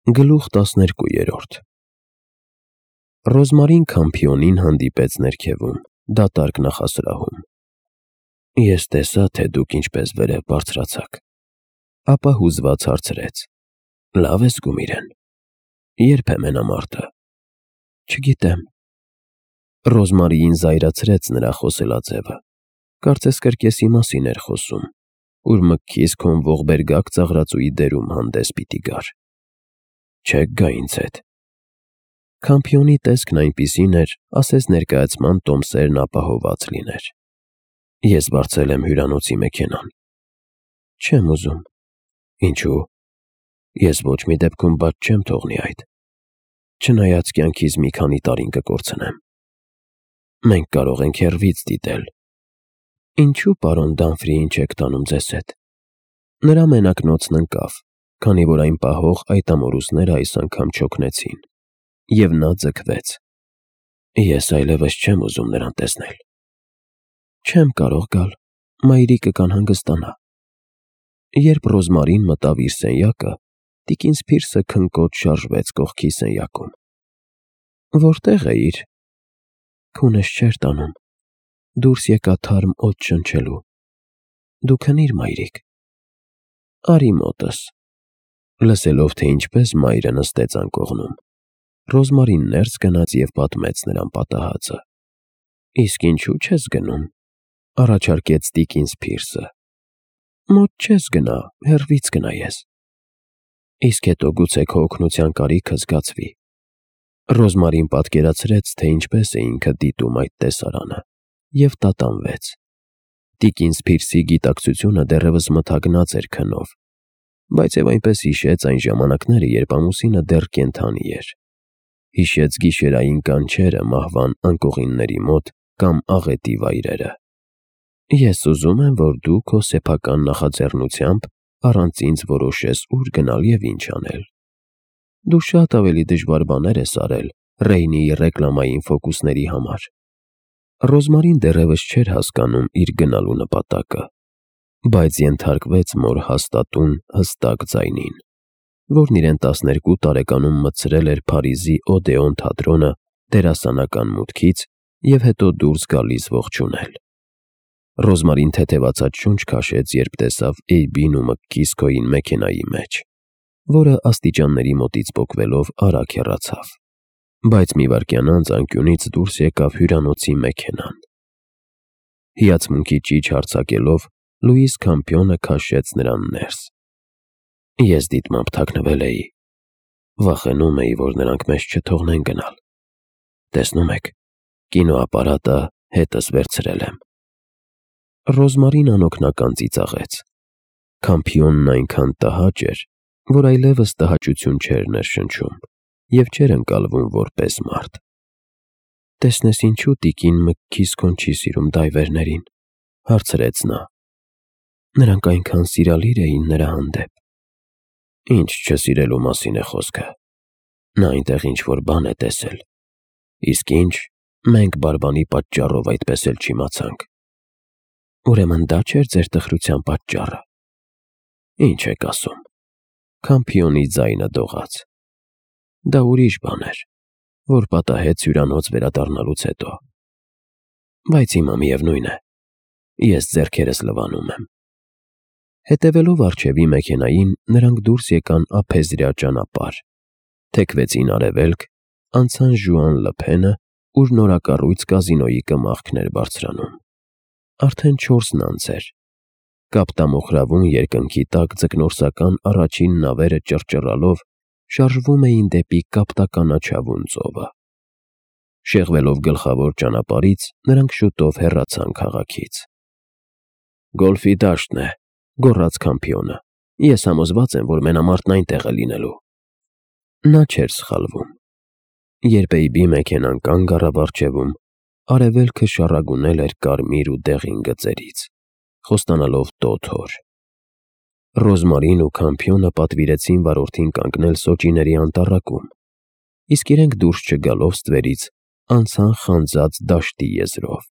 Գլուխ 12 Ռոզմարին Քամփիոնին հանդիպեց ներքևում, դատարկ նախասրահում։ Ես տեսա, թե դուք ինչպես վերև բարձրացաք, ապա հուզված հարցրեց. լավ ես գումիրեն, երբ է մենամարտը։ Չգիտեմ։ Ռոզմարիին զայրացրեց նրա խոսելաձևը, կարծես կրկեսի մասին էր խոսում, ուր մտքիս քոն ողբերգակ ծաղրածուի դերում հանդես պիտի գար։ Չեք գա ինձ հետ։ Քամփիոնի տեսքն այնպիսին էր, ասես ներկայացման տոմսերն ապահոված լիներ։ Ես բարձել եմ հյուրանոցի մեքենան։ Չեմ ուզում։ Ինչու։ Ես ոչ մի դեպքում բաց չեմ թողնի այդ։ Չնայած կյանքիս մի քանի տարին կկորցնեմ։ Մենք կարող ենք հեռվից դիտել։ Ինչու պարոն Դամֆրիին չեք տանում ձեզ հետ։ Նրա մենակնոցն ընկավ, քանի որ այն պահող այդ ամորուսները այս անգամ չօգնեցին, և նա ձգվեց։ Ես այլևս չեմ ուզում նրան տեսնել։ Չեմ կարող գալ, մայրիկը կանհանգստանա։ Երբ Ռոզմարին մտավ իր սենյակը, տիկին Սփիրսը քնկոտ շարժվեց կողքի սենյակում։ Որտե՞ղ էիր։ Քունս չէր տանում։ Դուրս եկա թարմ օդ շնչելու։ Դու քնիր, մայրիկ։ Արի մոտս։ Լսելով, թե ինչպես մայրը նստեց անկողնում, Ռոզմարին ներս գնաց և պատմեց նրան պատահածը։ Իսկ ինչու չես գնում, առաջարկեց տիկին Սփիրսը։ Մոտ չես գնա, հեռվից գնայես։ Իսկ հետո գուցե քո օգնության կարիքը զգացվի։ Ռոզմարին պատկերացրեց, թե ինչպես է ինքը դիտում այդ տեսարանը, և տատանվեց։ Տիկին Սփիրսի գիտակցությունը դեռևս մթագնած էր քնով, բայց և այնպես հիշեց այն ժամանակները, երբ ամուսինը դեռ կենդանի էր։ Հիշեց գիշերային կանչերը մահվան անկողինների մոտ կամ աղետի վայրերը։ Ես ուզում եմ, որ դու քո սեփական նախաձեռնությամբ առանց ինձ որոշես ուր գնալ և ինչ անել։ Դու շատ ավելի դժվար բաներ ես արել Ռեյնիի ռեկլամային ֆոկուսների համար։ Ռոզմարին դեռևս չէր հասկանում իր գնալու նպատակը, բայց ենթարկվեց մոր հաստատուն, հստակ ձայնին, որն իրեն 12 տարեկանում մտցրել էր Փարիզի Օդեոն թատրոնը դերասանական մուտքից և հետո դուրս գալիս ողջունել։ Ռոզմարին թեթևացած շունչ քաշեց, երբ տեսավ Էյբին ու Մկքիսքոյին մեքենայի մեջ, որը աստիճանների մոտից պոկվելով արագ հեռացավ, բայց մի վայրկյան անց անկյունից դուրս եկավ հյուրանոցի մեքենան։ Հիացմունքի ճիչ հարձակելով, Լուիս Քամփիոնը քաշեց նրան ներս։ Ես դիտմամբ թաքնվել էի։ Վախենում էի, որ նրանք մեզ չթողնեն գնալ։ Տեսնում եք, կինոապարատը հետս վերցրել եմ։ Ռոզմարին անօգնական ծիծաղեց։ Քամփիոնն այնքան տհաճ էր, որ այլևս տհաճություն չէր ներշնչում և չէր ընկալվում որպես մարդ։ Տեսնես ինչու տիկին Մկքիսքոն չի սիրում դայվերներին, հարցրեց նա։ Նրանք այնքան սիրալիր էին նրա հանդեպ։ Ինչ չսիրելու մասին է խոսքը։ Նա այնտեղ ինչ-որ բան է տեսել։ Իսկ ինչ, մենք բարբանի պատճառով այդպես էլ չիմացանք։ Ուրեմն դա չէր ձեր տխրության պատճառը։ Ինչ եք ասում։ Քամփիոնի ձայնը դողաց։ Դա ուրիշ բան էր, որ պատահեց հյուրանոց վերադառնալուց հետո։ Բայց հիմա միևնույն է, ես ձեռքերս լվանում եմ։ Հետևելով առջևի մեքենային, նրանք դուրս եկան ափեզրյա ճանապարհ, թեքվեցին արևելք, անցան Ժուան Լփենը, ուր նորակառույց կազինոյի կմախքն էր բարձրանում։ Արդեն 4-ն անց էր։ Կապտամոխրավուն երկնքի տակ ձկնորսական առաջին նավերը ճռճռալով շարժվում էին դեպի կապտականաչավուն ծովը։ Շեղվելով գլխավոր ճանապարհից, նրանք շուտով հեռացան քաղաքից։ Գոլֆի դաշտն է, գոռաց Քամփիոնը։ Ես համոզված եմ, որ մենամարտն այնտեղ է լինելու։ Նա չէր սխալվում։ Երբ Էյբի մեքենան կանգ առավ առջևում, արևելքը շառագունել էր կարմիր ու դեղին գծերից, խոստանալով տոթ օր։ Ռոզմարին ու Քամփիոնը պատվիրեցին վարորդին կանգնել Սոճիների անտառակում, իսկ իրենք դուրս չգալով ստվերից անցան խանձած դաշտի եզրով,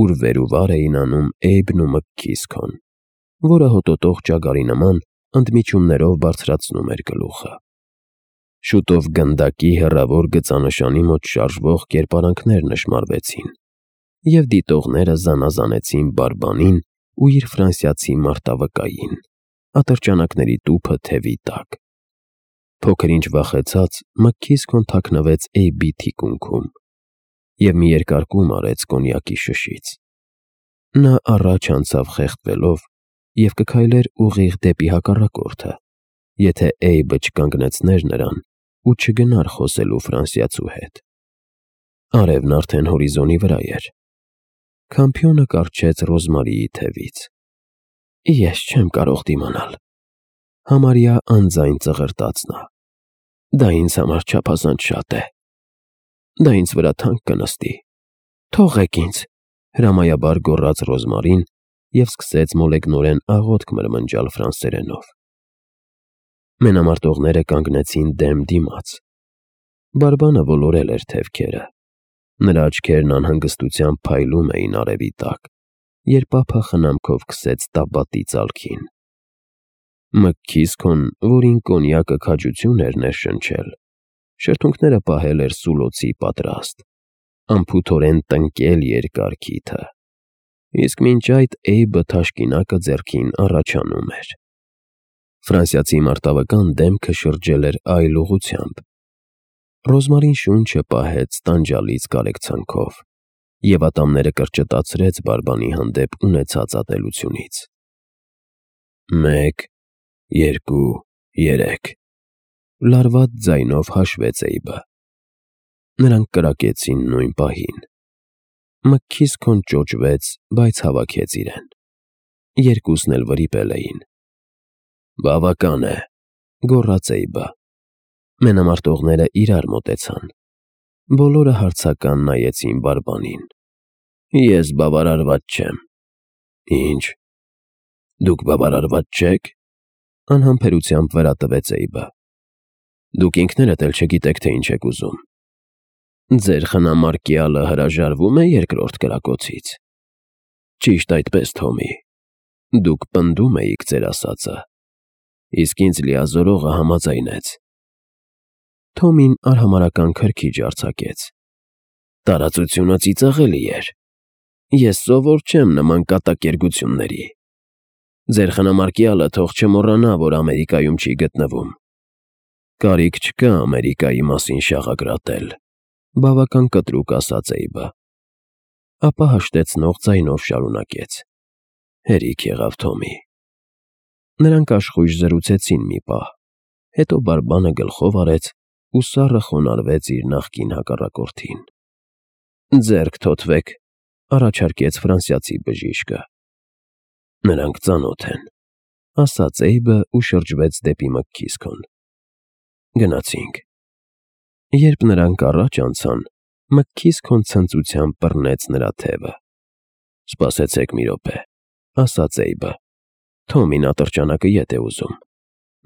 ուր վեր ու վար էին անում Էյբն ու Մկքիսքոն, որը հոտոտող ճագարի նման ընդմիջումներով բարձրացնում էր գլուխը։ Շուտով գնդակի հեռավոր գծանշանի մոտ շարժվող կերպարանքներ նշմարվեցին, և դիտողները զանազանեցին Բարբանին ու իր ֆրանսիացի մարտավկային, ատրճանակների տուփը թևի տակ։ Փոքր-ինչ վախեցած Մքքիսքոն թաքնվեց Էյբի թիկունքում և մի երկար կում արեց կոնյակի շշից։ Նա առաջ անցավ խեղդվելով և կքայլեր ուղիղ դեպի հակառակորդը, եթե Էյբը չկանգնեցներ նրան ու չգնար խոսելու ֆրանսիացու հետ։ Արևն արդեն հորիզոնի վրա էր։ Քամփյոնը կառչեց Ռոզմարիի թևից։ «Ես չեմ կարող դիմանալ», համարյա անձայն ծղրտաց նա։ «Դա ինձ համար չափազանց շատ է։ Դա ինձ վրա թանկ կնստի։ Թողեք ինձ», հրամայաբար գոռաց Ռոզմարին և սկսեց մոլեգնորեն աղոթք մրմնջալ ֆրանսերենով։ Մենամարտողները կանգնեցին դեմ դիմաց։ Բարբանը ոլորել էր թևքերը։ Նրա աչքերն անհանգստությամբ փայլում էին արևի տակ, երբ ափը խնամքով քսեց տաբատի ծալքին։ Մքքիսքոն, որին կոնյակը քաջություն էր ներշնչել, շրթունքները պահել էր սուլոցի պատրաստ, անփութորեն տնկել երկար քիթը, իսկ մինչ այդ Էյբը թաշկինակը ձեռքին առաջանում էր։ Ֆրանսիացի մարտավկան դեմքը շրջել էր այլ ուղղությամբ։ Ռոզմարին շունչը պահեց տանջալից կարեկցանքով և ատամները կրճտացրեց Բարբանի հանդեպ ունեցած ատելությունից։ 1, 2, 3 լարված ձայնով հաշվեց Էյբը։ Նրանք կրակեցին նույն պահին։ Մքքիսքոն ճոճվեց, բայց հավաքեց իրեն։ Երկուսն էլ վրիպել էին։ «Բավական է», գոռաց Էյբը։ Մենամարտողները իրար մոտեցան։ Բոլորը հարցական նայեցին Բարբանին։ «Ես բավարարված չեմ»։ «Ինչ, դուք բավարարված չեք», անհամբերությամբ վերատվեց Էյբը։ «Դուք ինքներդ էլ չգիտեք, թե ինչ եք ուզում։ Ձեր խնամարկյալը հրաժարվո՞ւմ է երկրորդ կրակոցից»։ «Ճիշտ այդպես, Թոմի, դուք պնդում էիք ձեր ասածը, իսկ ինձ լիազորողը համաձայնեց»։ Թոմին արհամարհական քրքիջ արձակեց։ «Տարածությունը ծիծաղելի էր։ Ես սովոր չեմ նման կատակերգությունների։ Ձեր խնամարկյալը թող չմոռանա, որ Ամերիկայում չի գտնվում։ Կարիք չկա Ամերիկայի մասին շաղակրատել», բավական կտրուկ ասաց Էյբը։ Ապա հաշտեցնող ձայնով շարունակեց. «Հերիք եղավ, Թոմի»։ Նրանք աշխույժ զրուցեցին մի պահ, հետո Բարբանը գլխով արեց ու սառը խոնարհվեց իր նախկին հակառակորդին։ «Ձեռք թոթվեք», առաջարկեց ֆրանսիացի բժիշկը։ «Նրանք ծանոթ են», ասաց Էյբը ու շրջվեց դեպի Մքքիսքոն։ «Գնացինք»։ Երբ նրանք առաջ անցան, Մքքիսքոն ցնծությամբ բռնեց նրա թևը։ «Սպասեցեք մի րոպե», ասաց Էյբը։ «Թոմին ատրճանակը ետ է ուզում։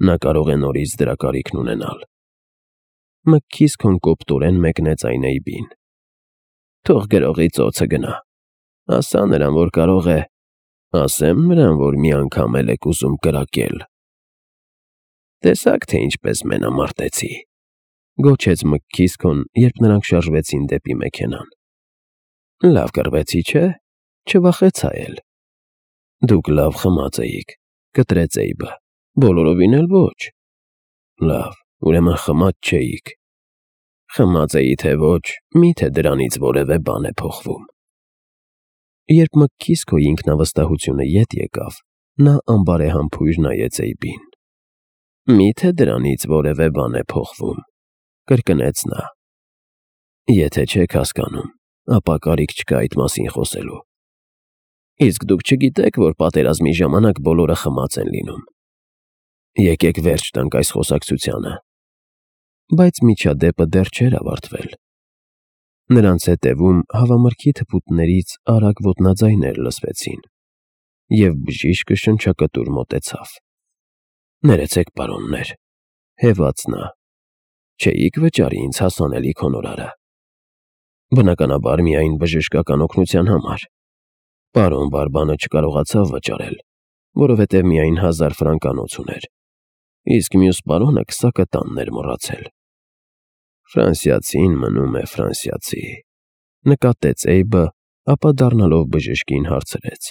Նա կարող է նորից դրա կարիքն ունենալ»։ Մքքիսքոն կոպտորեն մեկնեց այն Էյբին։ «Թող գրողի ծոցը գնա։ Ասա նրան, որ կարող է։ Ասեմ նրան, որ մի անգամ էլ եք ուզում կրակել»։ «Տեսաք, թե ինչպես մենամարտեցի», գոչեց Մքքիսքոն, երբ նրանք շարժվեցին դեպի մեքենան։ «Լավ կռվեցի, չէ՞, չվախեցա էլ»։ «Դուք լավ խմած էիք», կտրեց Էյբը։ «Բոլորովին էլ ոչ»։ «Լավ, ուրեմն խմած չէիք»։ «Խմած էի, թե ոչ, մի՞թե դրանից որևէ բան է փոխվում»։ Երբ Մքքիսքոյի ինքնավստահությունը ետ եկավ, նա անբարեհամբույր նայեց Էյբին։ «Մի՞թե դրանից որևէ բան է փոխվում», կրկնեց նա։ «Եթե չեք հասկանում, ապա կարիք չկա այդ մասին խոսելու։ Իսկ դուք չգիտեք, որ պատերազմի ժամանակ բոլորը խմած են լինում։ Եկեք վերջ տանք այս խոսակցությանը»։ Բայց միջադեպը դեռ չէր ավարտվել։ Նրանց հետևում հավամրգի թփուտներից արագ ոտնաձայներ լսվեցին, և բժիշկը շնչակտուր մոտեցավ։ «Ներեցեք, պարոններ», հևաց նա։ «Չէիք վճարի ինձ հասանելիք հոնորարը»։ «Բնականաբար միայն բժշկական օգնության համար։ Պարոն Բարբանը չկարողացավ վճարել, որովհետև միայն 1000 ֆրանկանոց ուներ, իսկ մյուս պարոնը քսակտանն էր մոռացել»։ Ֆրանսիացին մնում է ֆրանսիացի, նկատեց Էյբը, ապա դառնալով բժշկին հարցրեց.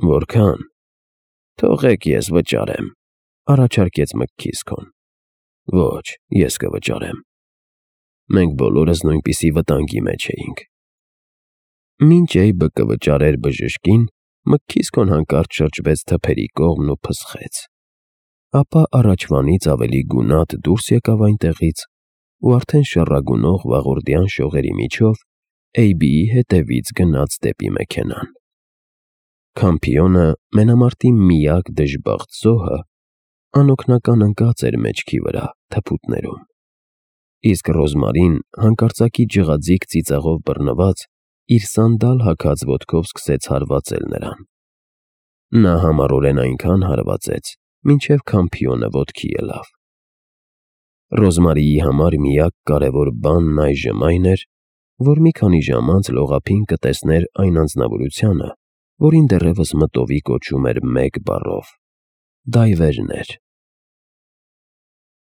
Որքան։ Թողեք ես վճարեմ, առաջարկեց Մքքիսքոն։ Ոչ, ես կվճարեմ։ Մենք բոլորս նույնպիսի վտանգի մեջ էինք։ Մինչ Էյբը կվճարեր բժշկին, Մքքիսքոն հանկարծ շրջվեց թփերի կողմն ու փսխեց։ Ապա առաջվանից ավելի գունատ դուրս եկավ այնտեղից ու արդեն շառագունող վաղորդյան շողերի միջով Էյբիի հետևից գնաց դեպի մեքենան։ Քամփիոնը, մենամարտի միակ դժբախտ զոհը, անօգնական ընկած էր մեջքի վրա թփուտներում, իսկ Ռոզմարին հանկարծակի ջղաձիգ ծիծաղով բռնված իր սանդալ հագած ոտքով սկսեց հարվածել նրան։ Նա համառորեն այնքան հարվածեց, մինչև Քամփիոնը ոտքի ելավ։ Ռոզմարիի համար միակ կարևոր բանն այժմ այն էր, որ մի քանի ժամ անց լողափին կտեսներ այն անձնավորությանը, որին դեռևս մտովի կոչում էր մեկ բառով՝ դայվերներ։